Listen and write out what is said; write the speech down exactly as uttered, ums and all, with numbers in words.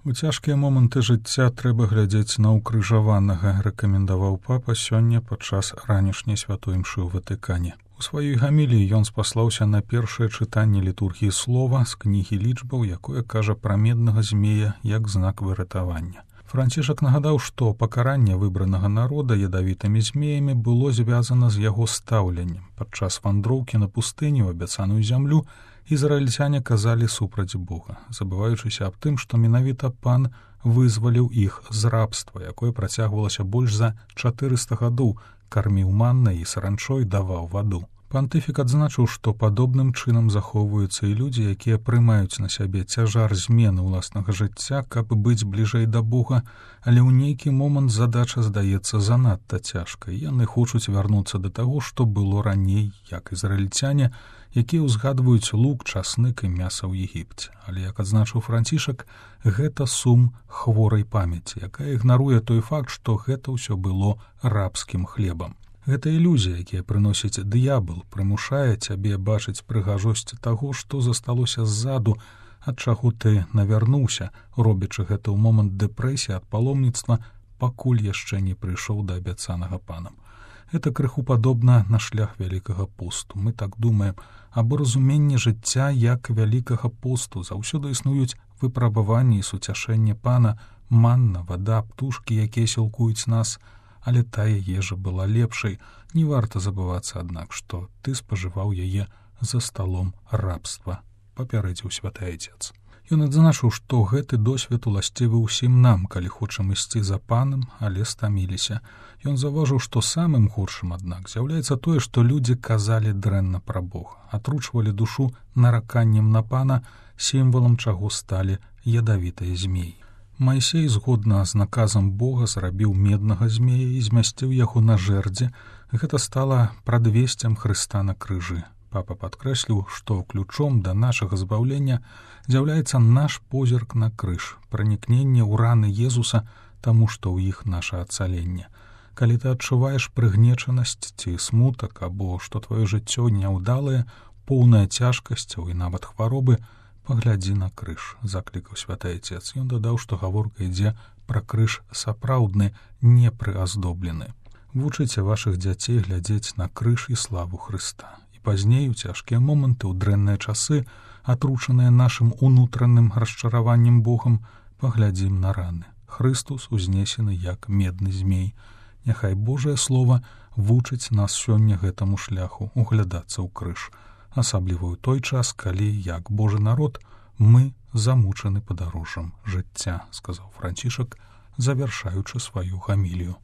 У цяжкія моманты жыцця трэба глядзець на ўкрыжаванага, рэкамендаваў папа сёння падчас ранішняй святой імшы ў Ватыкане. У сваёй гаміліі ён спаслаўся на першае чытанне літургіі слова з кнігі лічбаў, якое кажа пра меднага змея як знак выратавання. Францішак нагадаў, што пакаранне выбранага народа ядавітымі змеямі было звязана з яго стаўленнем. Падчас вандроўкі на пустыню ў абяцаную зямлю ізраільцяне казалі супраць Бога, забываючыся аб тым, што менавіта пан вызваліў іх з рабства, якое працягвалася больш за чатырыста гадоў, карміў маннай і саранчой, даваў ваду. Пантыфік адзначыў, што падобным чынам захоўваюцца і людзі, якія прымаюць на сябе цяжар змены ўласнага жыцця, каб быць бліжэй да Бога, але ў нейкі момант задача здаецца занадта цяжкай. Яны хочуць вярнуцца да таго, што было раней, як ізраільцяне, якія ўзгадваюць лук, часнык і мяса ў Егіпце. Але, як адзначыў Францішак, гэта сум хворай памяці, якая ігнаруе той факт, што гэта ўсё было рабскім хлебам. Гэта ілюзія, якія прыносіць д'ябал, прымушае цябе бачыць прыгажосць таго, што засталося ззаду, ад чаго ты навярнуўся, робячы гэта ў момант дэпрэсіі ад паломніцтва, пакуль яшчэ не прыйшоў да абяцанага панам. Гэта крыху падобна на шлях вялікага посту. Мы так думаем, або разуменне жыцця як вялікага посту. Заўсёды існуюць выпрабаванні і суцяшэнне пана, манна, вада, птушкі, якія сілкуюць нас, але тая ежа была лепшай. Не варта забывацца, аднак, што ты спажываў яе за сталом рабства, папярэдзіў святы айцец. Ён адзначыў, што гэты досвед уласцівы ўсім нам, калі хочам ісці за панам, але стаміліся. Ён заўважыў, што самым горшым, аднак, з'яўляецца тое, што людзі казалі дрэнна пра Бога, атручвалі душу нараканнем на пана, сімвалам чаго сталі ядавітыя змеі. Майсей, згодна з наказам Бога, зрабіў меднага змея і змясціў яго на жэрдзе. Гэта стала прадвесцем Хрыста на крыжы. Папа падкрэсліў, што ключом да нашага збаўлення з'яўляецца наш позірк на крыж, пранікненне ў раны Езуса, таму што ў іх наша ацаленне. Калі ты адчуваеш прыгнечанасць ці смутак, або што тваё жыццё няўдалае, поўнае цяжкасцяў і нават хваробы, паглядзі на крыж, заклікаў святы айцец. Ён дадаў, што гаворка ідзе пра крыж сапраўдны, не прыаздоблены. Вучыце вашых дзяцей глядзець на крыж і славу Хрыста. І пазней, у цяжкія моманты, у дрэнныя часы, атручаныя нашым унутраным расчараваннем Богам, паглядзім на раны. Хрыстус узнесены як медны змей. Няхай Божае Слова вучыць нас сёння гэтаму шляху углядацца ў крыж, асабліва ў той час, калі, як Божы народ, мы замучаны падарожжам жыцця, сказаў Францішак, завяршаючы сваю гамілію.